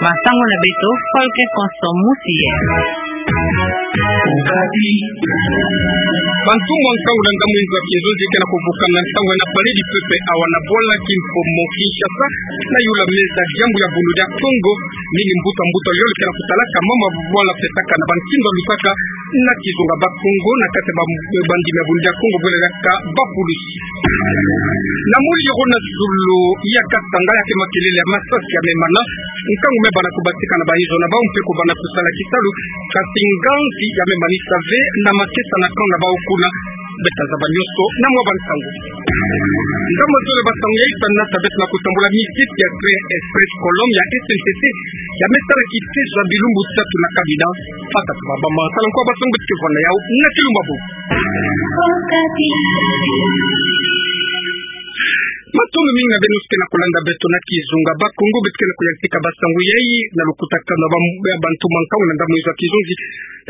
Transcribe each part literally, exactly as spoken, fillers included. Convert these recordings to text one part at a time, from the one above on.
Masangu na beto, Folke Konso Musiye. Bantu mwa nkangu na ndamwinzo ya kinzonzi ke na kuvukana ntangu na Palais du Peuple awa na bwala kimfumu Kinshasa, na yula meza diambu ya Bundu dia Kongo, nini mbuta mbuta yole ke na kutalaka mama bwala pesaka na bankindu ya lutaka na kizunga Bakongo na kati ya ba-, bandimi ya Bundu dia Kongo, bwala diaka bapulusi. Na Muliro na zulu ya Katanga, ya ke makelele ya masasi ya memana, nkangu mebana kubatika na bayizo na bau mpe kubana kusala kisalu, kasi nganzi ya memanisa ve na makesa na camp na bau kuna. Beta zaba nyonso na mwa bansangu. Ngambo zole bansangu ya isa na tabet na kutambula miziki ya Train Express Colombe ya S N C C, ya me sala kitezo ya bilumbu tatu na kabina. Fata tubaba ma sala nkwa bansangu beto ke vwanda yau na kilumbu bubu. Matondo mingi na beno ke na kulanda beto na kizunga Bakongo, beto ke na kuyantika bansangu yai na lukutakanu na ba-, ya bantu mwa nkangu na ndamwinzo ya kinzonzi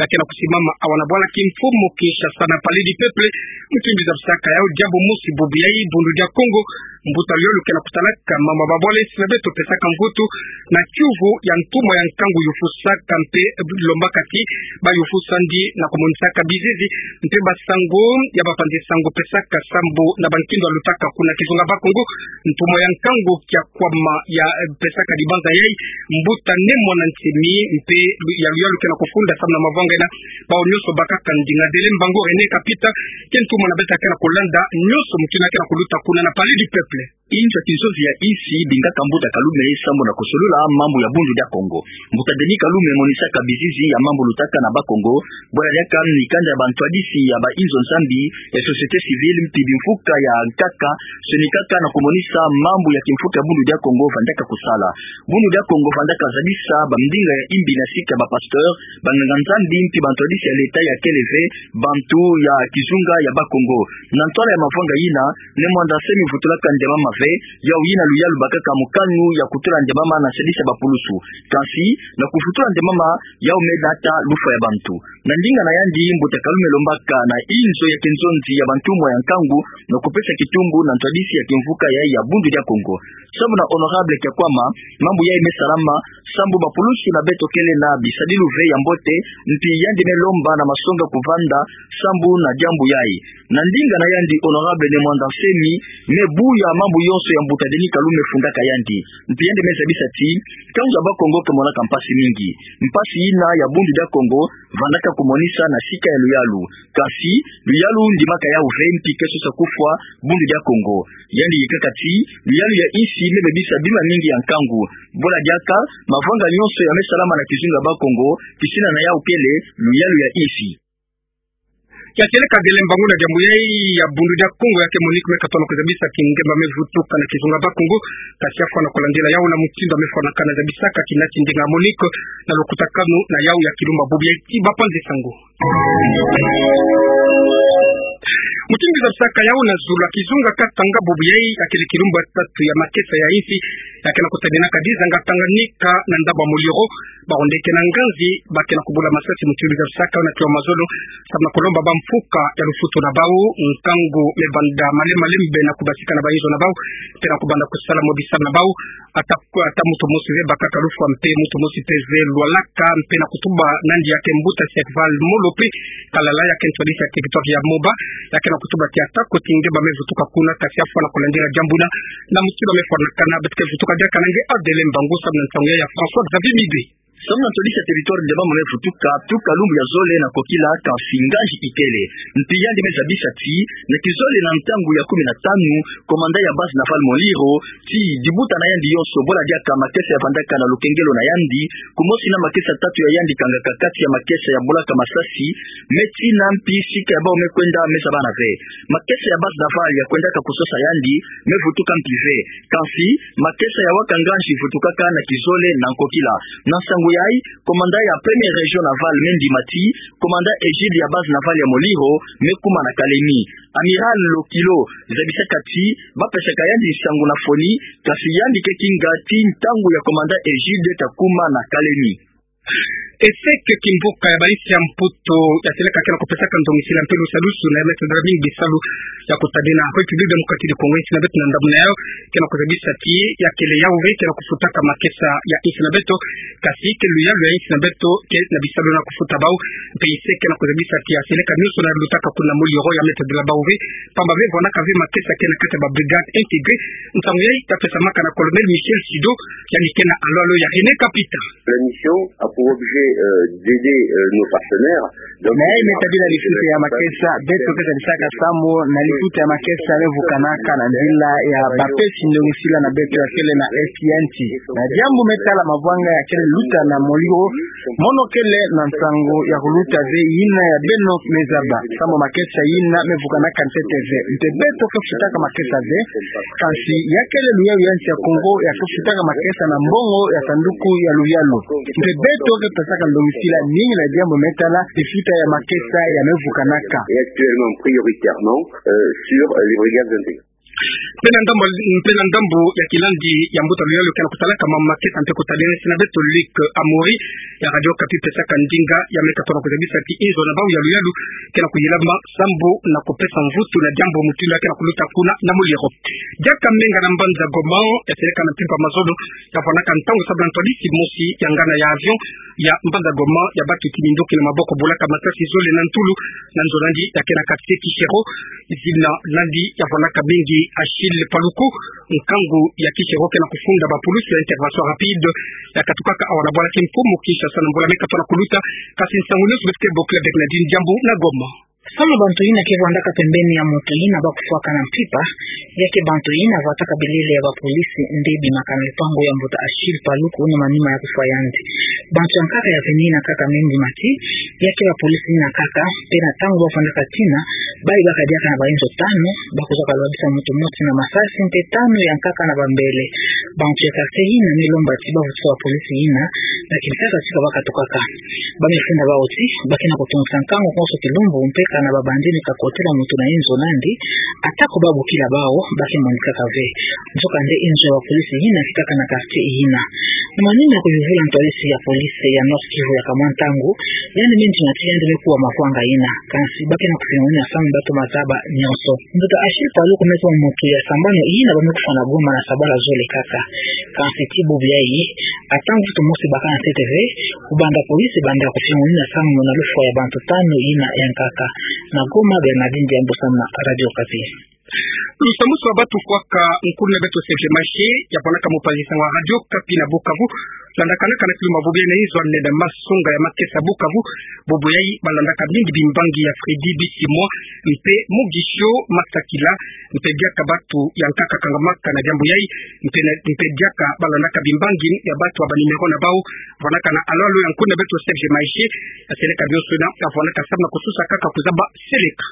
ya ke na kusimama awa na bwala kimfumu Kinshasa na Palais du Peuple. Mutindu zabisaka yau, diambu mosi bubu yai, Bundu dia Kongo, mbuta luyalu ke na kutalaka mama babwala esi na beto pesaka mvutu na kiuvu ya ntumwa ya nkangu yufusaka mpe lombaka ti bayufusandi na kumonisaka bizizi mpe bansangu ya bapanzi sangu pesaka sambu na bankindu ya lutaka kuna kizunga Bakongo. Ntumwa ya nkangu kia kwama ya, eh, pesaka dibanza yai, mbuta Ne Muanda Nsemi, mpe lu-, ya luyalu ke na kufunda samu na mavanga ina. Bau nyonso bakaka ndinga. Adele Mbangu René Kapita, ke ntumwa na beto ke na kulanda nyonso mutindu ke na kuluta kuna na Palais du Peuple. Inzo ya kinzonzi ya insi ibingaka mbuta Kalume sambu na kusolula mambu ya Bundu dia Kongo. Mbuta Denis Kalume monisaka bizizi ya mambu lutaka na Bakongo, bwala diaka mikanda ya bantwadisi ya bainzo Nzambi, ya société civile, mpi bimfuka ya nkaka, sonikaka na kumonisa mambu ya kimfuka ya Bundu dia Kongo vandaka kusala. Bundu dia Kongo vandaka zadisa bamdinga ya imbi na sika ya bapasteur, banganga Nzambi, mpi bantwadisi ya leta ya kele ve bantu ya kizunga ya Bakongo. Na ntwala ya mavanga ina, Ne Muanda Nsemi vutulaka nde mama ve, yau yina luyalu bakaka mokanu ya kutula nde mama na sadisi ya bapulusu. Kasi, na kuvutula nde mama, yau me nata lufwa ya bantu. Na ndinga na yandi, mbuta Kalume lombaka na inzo ya kinzonzi ya bantumwa ya nkangu na kupesa kitumbu na ntwadisi ya kimfuka yai ya Bundu dia Kongo. Sambu na honorable Kiakwama, mambu yai me salama sambu bapulusu na beto kele na bisadilu ve ya mbote, mpi yandi me lomba na masonga kuvanda sambu na diambu yai. Na ndinga na yandi, honorable Ne Muanda Nsemi me buya mambu yonso ya mbuta Denis Kalume fundaka yandi. Mpi yandi me zabisa ti, nkangu ya Bakongo ke monaka mpasi mingi. Mpasi ina ya Bundu dia Kongo vandaka kumonisa na sika ya luyalu. Kasi, luyalu ndimaka yau ve, mpi ke sosa kufwa Bundu dia Kongo. Yandi yikaka ti, luyalu ya insi me bebisa bima mingi ya nkangu. Bwala diaka, mavanga nyonso ya me salama na kizunga Bakongo, kisina na yau kele luyalu ya insi. Kiakele Adele Mbangu na diambu yai ya Bundu dia Kongo, ya ke Monique me katono kuzabisa kingemba me vutuka na kizunga Bakongo, kasi afwa na kulandila yau na mutindu me fwanakana, zabisaka kina ti ndinga Monique na lukutakanu na yau ya kilumbu bubu yai ti bapanzi sangu. Mutindu zabisaka yau na zulu ya kizunga Katanga bubu yai, ya kele kilumbu ya tatu ya makesa ya insi, ya ke na kusadinaka dizanga Tanganyika na ndambu ya Muliro. Bawu nde ke na nganzi ba ke na kubula masasi mutindu zabisaka yau na kiwa mazolo, samu na kulomba bamfuka ya lufutu na bawu. Nkangu me banda male male mbe na kubasika na bainzo na bawu, mpe na kubanda kusala mwa bisalu na bawu. Ata, ata muntu mosi ve bakaka lufwa, mpe muntu mosi mpe ve lwalaka, mpe na kutuba nandi ya ke mbuta Serval Molope Kalala, ya ke ntwadisi ya territoire ya Moba, ya ke na kutuba ti ata ko ti ngemba me vutuka kuna, kasi afwa na kulandila diambu na, na mutindu me fwanakana. Beto ke vutuka diaka na nge Adele Mbangu samu na nsangu ya François Xavier Mibe. Samu na ntwadisi ya territoire ngemba me vutuka, tuka lumbu ya zole na kokila, kasi nganzi ikele. Mpi yandi me zabisa ti, na kizole na ntangu ya kumi na tanu, commandant ya base navale Muliro, ti dibuta na yandi yonso, bwala diaka makesa ya vandaka na lukengelo na yandi, kumosi na makesa tatu ya yandi kangaka kati ya makesa ya bulaka masasi, me tina mpi sika ya bawu me kwenda me zabana ve. Makesa ya base navale ya kwendaka kusosa yandi, me vutuka mpi ve. Kasi, makesa ya waka nganzi vutukaka na kizole na nkokila. Na nsangu yai, commandant ya première région navale me ndima ti, commandant Egide ya base navale ya Muliro, me kuma na Kalemi. Amiral Lokilo, zabisaka ti, ba pesaka yandi nsangu na foni, kasi yandi ke kinga ti ntangu ya commandant Egide ta kuma na Kalemi. Ese ke kimbuka ya bainsi ya Mputu ya seleka ke na kupesaka ndongisila mpe lusadusu na ya mesa dela mingi bisalu ya kutadena. République démocratique du Congo, insi na beto na ndambu na yayo ke na kuzabisa ti ya kele yawu ve ke na kufutaka makesa ya insi na beto, kasi ke luyalu ya insi na beto ke na bisalu na kufuta bawu. Mpe ese ke na kuzabisa ti ya seleka nionso na lutaka kuna molioro ya meta dela bawu ve, pamba ve vwanaka ve makesa ke na kati ya ba brigades intégrées. Nsangu yayi ta pesamaka na Colonel Michel Sido, yandi ke na alolo ya René Kapita. La mission a pour objet, euh, d'aider, euh, nos partenaires. Donc, na yayi meta bila lifuta ya makesa, beto ke sadisaka samu na lifuta ya makesa me vukanaka na nzila ya bapesi ndongisila na beto ya kele na Est ya nsi. Na diambu me tala mavwanga ya kele luta na molioro, mono kele na nsangu ya kuluta ve yina ya beno me zaba, samu makesa yina me vukanaka ntete ve. Mpe beto ke futaka makesa ve, kansi ya kele luyalu ya nsi ya Congo ya ke futaka makesa na mbongo ya sanduku ya luyalu. Mpe beto ke pesaka ndongisila mingi na diambu me tala lifuta ya makesa ya me vukanaka. Et actuellement, prioritairement, euh, sur, euh, les brigades intégrées. Mpe na ndambu, mpe na ndambu ya kilandi ya mbuta luyalu ke na kutalaka mama makesa mpe kutadena insi na beto, Luc Amaury ya Radio Okapi pesaka ndinga ya me katola kuzabisa ti inzo na bawu ya luyalu ke na kuyilama sambu na kupesa mvutu na diambu mutindu ya ke na kuluta kuna na molioro. Diaka menga na mbanza Goma, ya seleka na mpimpa mazono, ya vwanaka ntangu sabu na ntwadisi mosi ya ngana ya avion ya mbanza Goma ya batuti minduki na maboko, bolaka masasi zole na ntulu na nzo nandi ya ke na quartier Kishero. Zina nandi ya vwanaka mingi Achille Paluku, nkangu ya Kishero, ke na kufunda ba pulusi ya intervention rapide ya katukaka awa na bwala Kimpumu Kinshasa na mbula me katola kuluta. Kasi nsangu nionso beto ke bokila bek na dini diambu na Goma. Samu bantu yina ke vwandaka pembeni ya moto yina ba kufwaka na mpimpa, ya ke bantu yina vwataka bilele ya ba pulusi nde bimaka na lupangu ya mbuta Achille Paluku na manima ya kufwa yandi. Bantu ya nkaka ya veni yina kaka me ndima ti ya ke ba pulusi yina kaka, mpe na ntangu ba vwandaka tina, ba yibaka diaka na ba inzo tanu, ba kuzaka lwabisa moto mosi na masasi, mpe tanu ya nkaka na ba mbele. Bantu ya quartier yina me lomba ti ba vutisa ba pulusi yina na kimpeve ti ka ba katukaka. Ba me funda bawu ti ba ke na kutungisa nkangu konso kilumbu, mpe kana ba bandi ni kakotela moto na inzo nandi, atako ba bokila bawu, ba ke monikaka ve. Nzokande inzo ya ba pulusi yina ke kaka na quartier yina. Na manima ya kuyuvula ntwadisi ya police ya Nord Kivu ya kamwa ntangu, yandi me ndima ti yandi me kuwa mavwanga yina, kansi ba ke na kufingamina samu bato mazaba nionso. Mbuta Achille Paluku me kuma moto ya sambanu yina ba me kufwa na Goma na sabala zole kaka. Kansi ti bubu yayi, ata mvutu mosi baka ntete ve, kubanda police banda kufingamina samu na lufwa ya bantu tanu yina ya nkaka. Na Goma, Bernardine Diambu samu na Radio Okapi. Lusambusu wa batu kwaka. Nkulu na beto Serge Maje, ya vwanaka mopanzi nsangu wa Radio Okapi na Bukavu, landakanaka na kilumbu bubu yayi na inzo ane na masonga ya makesa Bukavu. Bubu yayi balandaka mingi bimbangi ya Freddy Bisimwa, mpe Mugisho Masakila, mpe diaka batu ya nkaka kangamaka na diambu yayi, mpe na, mpe diaka balandaka bimbangi ya batu ya ba numéro na bawu. Vwanaka na alolo ya nkulu na beto Serge Maje, ya seleka bionso na, ya vwanaka samu na kususa kaka kuzaba seleka.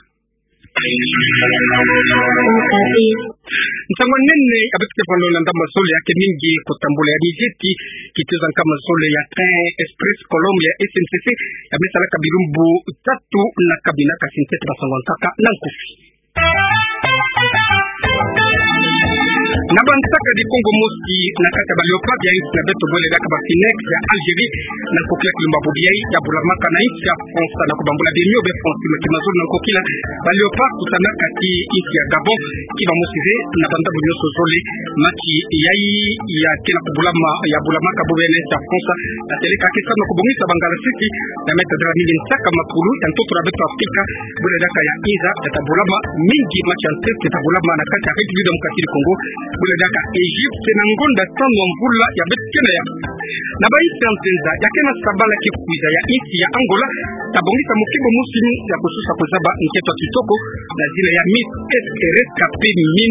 Nsangu ya nene ya beto ke vwanda landa, mazono ya ke mingi kutambula ya mizeti, kituza nkama zole ya train express Colombia ya S N C C, ya me salaka bilumbu tatu na kabina, kasi ntete ba nsangu ya nkaka na nkufi. Na ba nsakadi Kongo mosi na kati ya ba Léopards ya insi na beto, bwele diaka ba Phoenix ya Algérie, na nkokila kilumbu bubu yayi ya bulamaka na insi ya France, na kubambula bimio be France, mati mazulu na nkokila ba Léopards kutanaka ti insi ya Gabon, ki ba mosi ve na ba ndambu nionso zole. Mati yayi ya ke na kubulama, ya bulamaka bubu yayi na insi ya France, ya seleka ke samu na kubongisa ba ngalasisi na meta dela mingi nsaka makulu ya ntoto na beto Afrika, bwele diaka ya inza ya ta bulama mingi, mati ya ntete ta bulama na kati ya République démocratique du Congo, bwele diaka Égypte, na ngonda tanu ya mvula ya beto ke na ya. Na ba insi ya nzenza ya ke na sabala ke kwiza ya insi ya Angola, ta bongisa mokimbo mosi ya kususa kuzaba nkento ya kitoko na zina ya Miss Escare Capemini,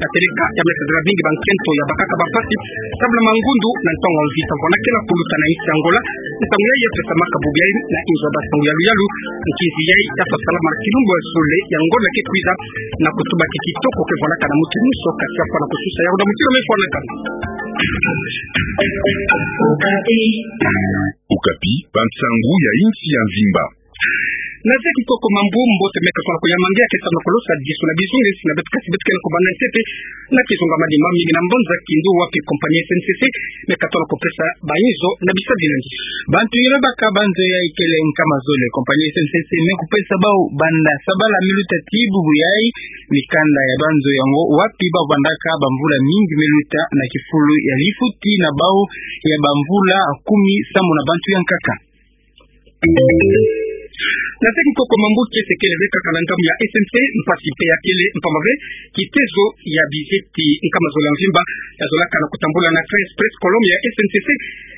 ya seleka ya meta dela mingi ba nkento ya bakaka ba mpasi, samu na mangundu na ntangu ya mvita. Vwanda ke na kuluta na insi ya Angola, ntangu yayi ya pesamaka bubu yayi na inzo ya ba nsangu ya luyalu, nkinzi yayi ya ta salama na kilumbu ya zole ya ngonda ke kwiza, na kutuba ti kitoko ke vwandaka na mutu nionso, kasi ya fwana kususa ya unda mutu na me fwanaka. Okapi, ba nsangu ya insi ya mvimba. Na zeki koko mambu mbote me katoloko ya mangi ya ke sa na kolosa disu na bizunge, si na beto kasi beto kele ko banda ntete na kizunga manima mingi na mbanza Kindu wapi compagnie S N C C me katoloko pesa bainzo na bisadi nandi. Bantu yele baka banzo yayi kele nkama zole, compagnie S N C C me kupesa bau banda sabala miluta ti bubu yayi. Mikanda ya banzo yango wapi bau vandaka bamvula mingi miluta na kifulu ya lifuti na bau ya bamvula kumi sambu na bantu ya nkaka. Na zeki koko mambu kiese kele ve kaka na ngambu ya S N C, mpasi mpe ya kele mpamba ve kitezo ya bizeti nkama zole ya mvimba ya zolaka na kutambula na Train Express Colombe ya S N C C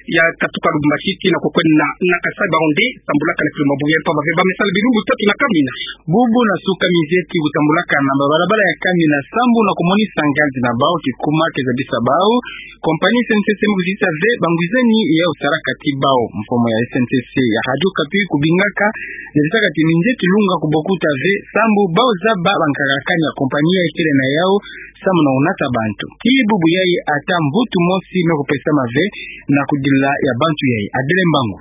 ya katuka Lubumbashi tii na kukwenda na Kasaï, bau nde tambulaka na kilumbu ya mpamba ve ba me sala bilumbu tatu na kamina. Bubu na suka mizeti kutambulaka na babalabala ya kamina sambu na kumonisa nganzi na bau kikuma ke zabisa bau compagnie S N C C me kuzisa ve bangwizani ya kusalaka ti bau. Mfumu ya S N C C ya Radio Okapi kubingaka zabisaka ti minzeti lunga kubokuta ve sambu bau zaba bankaka kani ya compagnie yayi kele na yau sambu na kunata bantu. Ti bubu yayi ata mvutu mosi me kupesama ve na kudila ya bantu yayi. Adele Mbangu.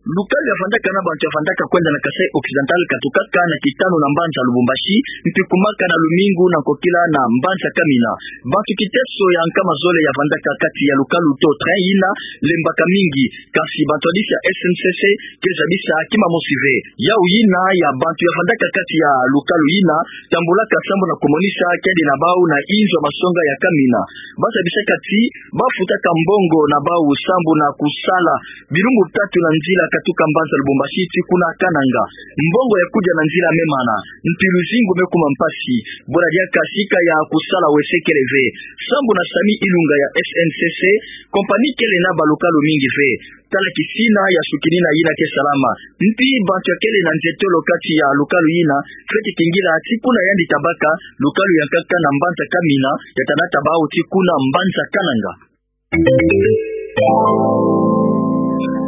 Lukalu ya vandaka na bantu ya vandaka kwenda na Kasaï Occidental katukaka na kitanu na mbanza Lubumbashi, mpi kumaka na lumingu na nkokila na mbanza kamina. Bantu kiteso ya nkama zole ya vandaka kati ya lukalu to train yina lembaka mingi, kasi bantu ya disi ya S N C C ke zabisa kima mosi ve. Yau yina ya bantu ya vandaka kati ya lukalu yina tambulaka sambu na kumonisa kiadi na bau na inzo masonga ya kamina. Ba zabisaka ti ba futaka mbongo na bau sambu na kusala bilumbu tatu na nzila katuka mbanza Lubumbashi tii kuna Kananga. Mbongo ya kudia na nzila me mana, mpi luzingu me kuma mpasi. Bula diaka sika ya kusala wese kele ve. Sambu na Sami Ilunga ya S N C C, compagnie kele na balukalu mingi ve. Tala kisina ya sukinina yina ke salama. Mpi bantu ya kele na nzietolo kati ya lukalu yina, fweti kingila tii kuna yandi tabaka lukalu ya nkaka na mbanza kamina, ya tanata bau tii kuna mbanza Kananga.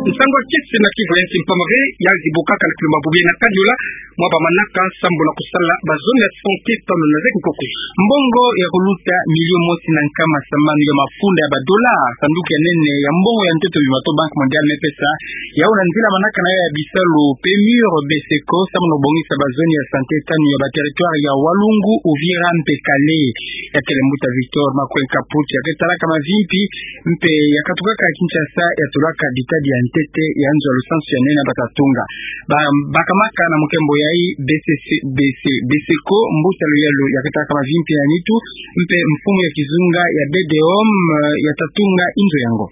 Nsangu ya kiese na Kivu ya nsi mpamba ve ya zibukaka na kilumbu bubu yayi na Kaniola, mwa ba manaka sambu na kusala ba zone ya santé tanu na zeki koko. Mbongo ya kuluta milio mosi na nkama samanu ya mafunda ya ba dollars, sanduku ya nene ya mbongo ya ntoto bima to Banque Mondiale me pesa yau na nzila manaka na yau ya bisalu PMUR BESECO sambu na kubongisa ba zone ya santé tanu ya ba territoire ya Walungu, Uvira mpe Kale. Ya kele mbuta Victor Makweny Kaputi ya ke talaka mavimpi mpe ya katukaka Kinshasa ya tulaka bitadi ya ntete ya nzo ya lusansu ya nene bata tunga. Ba, bakamaka na mukembo yayi BCC, BC, BESECO, mbuta luyalu ya ke talaka mavimpi ya nitu mpe mfumu ya kizunga ya BDOM, eh, ya ta tunga inzo yango.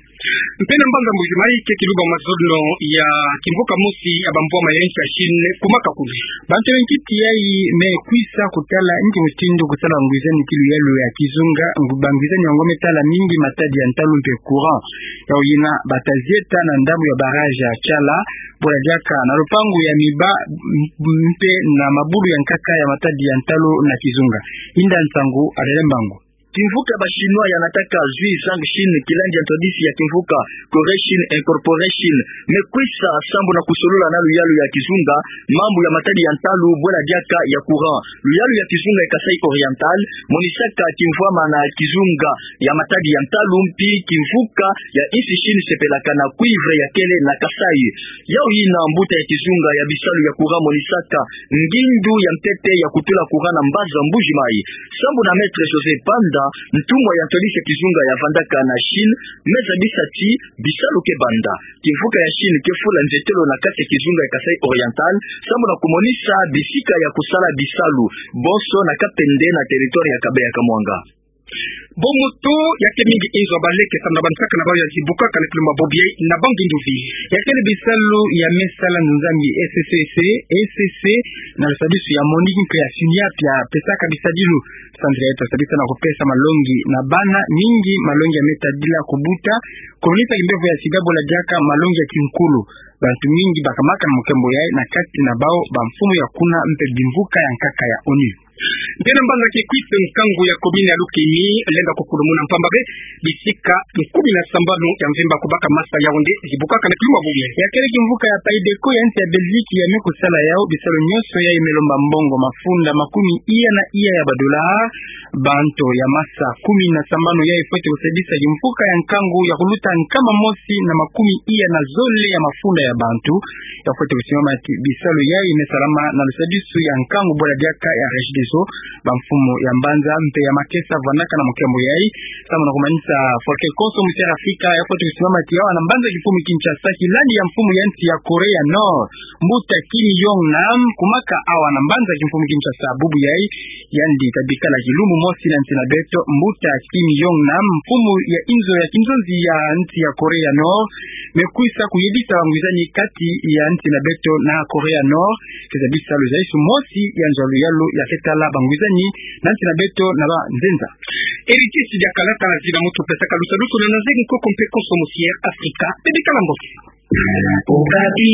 Mpe na mbanza Mbuji-Mayi ke kiluba mazono ya kimvuka mosi ya bambwama ya nsi ya Chine kumaka kulu. Bantu ya nkiti yayi me kwisa kutala nki mutindu kusala bangwizani ti luyalu ya kizunga, ngu-, bangwizani yango me tala mingi matadi ya ntalu mpe courant. Yau yina bata zieta na ndambu ya barrage ya Tshala, bula diaka na lupangu ya miba, m-, mpe na mabulu ya nkaka ya matadi ya ntalu na kizunga. Inda Nsangu, Adele Mbangu. Kimvuka ya ba Chinois ya nataka Zhuizhang Chine, kilandi ya ntwadisi ya kimvuka Corée Chine Incorporée Chine, me kwisa sambu na kusolula na luyalu ya kizunga mambu ya matadi ya ntalu, bwela diaka ya courant. Luyalu ya kizunga ya Kasaï Oriental monisaka kimvwama na kizunga ya matadi ya ntalu, mpi kimvuka ya insi Chine sepelaka na cuivre ya kele na Kasaï. Yau yina mbuta ya kizunga ya bisalu ya courant monisaka ngindu ya ntete ya kutula courant na mbanza Mbuji-Mayi. Sambu na Maître José Panda, ntumwa ya ntwadisi ya kizunga ya vandaka na Chine, me zabisa ti bisalu ke banda. Kimvuka ya Chine ke fula nzietolo na kati ya kizunga ya Kasaï Oriental sambu na kumonisa bisika ya kusala bisalu bonso na Kapende na territoire ya Kabeya-Kamwanga. Bo moto ya ke mingi inzo ya baleke sambu na bansaka na bau ya zibukaka na kilumbu bubu yayi na ba ngindu ve. Ya kele bisalu ya me sala nzambi S C C, S C C, na lusadisu ya Monique mpe ya Siniap ya pesaka bisadilu. Sandra yeto sabisa na kupesa malongi na bana mingi, malongi ya me tadila kubuta, kumonisa kimbevo ya sida, bwela diaka malongi ya kinkulu. Bantu mingi bakamaka na mukembo yayi, na kati na bau bamfumu ya kuna mpe bimvuka ya nkaka ya ONU. Mpe na mbanza kikwit, nkangu ya commune ya Lukemi lenda kufulumuna mpamba be bisika kumi na sambanu ya mvimba ku baka masa Yaoundé zibukaka na kilumbu ya bubu yayi. Ya kele kimvuka ya PAIDECO ya nsi ya Belgique ya me kusala yawu bisalu nyonso yayi me lomba mbongo mafunda makumi iya na iya ya badola. Bantu ya masa kumi na sambanu yayi fwete kusadisa kimvuka ya nkangu ya kuluta nkama mosi na makumi iya na zole ya mafunda ya bantu. Ya fwete kusimama ti bisalu yayi me salama na lusadisu ya nkangu bwala diaka ya Regideso. Bamfumu ya mbanza mpe ya makesa vandaka na mukembo yayi. Samu na kumanisa Folklore Konso Musiere Afrika, ya fwete kusimama ti awa na mbanza kimfumu Kinshasa, kilandi ya mfumu ya nsi ya Corée ya Nord, mbuta Kim Jong Nam, kumaka awa na mbanza kimfumu Kinshasa bubu yayi. Yandi tabikala kilumbu mosi na nsi na beto. Mbuta Kim Jong Nam, mfumu ya inzo ya kinzonzi ya nsi ya Corée ya Nord, me kwisa kuyebisa bangwizani kati ya nsi na beto na Corée ya Nord, keza bisalu zaisu mosi ya nzolo yalu ya ketala bangwizani na nsi na beto na banzenza. Héritier Sidiakala, tala zina mutu pesaka lusadusu na nazebi nkoko mpe Konso Musiere Afrika, bebikala mbote. Okapi.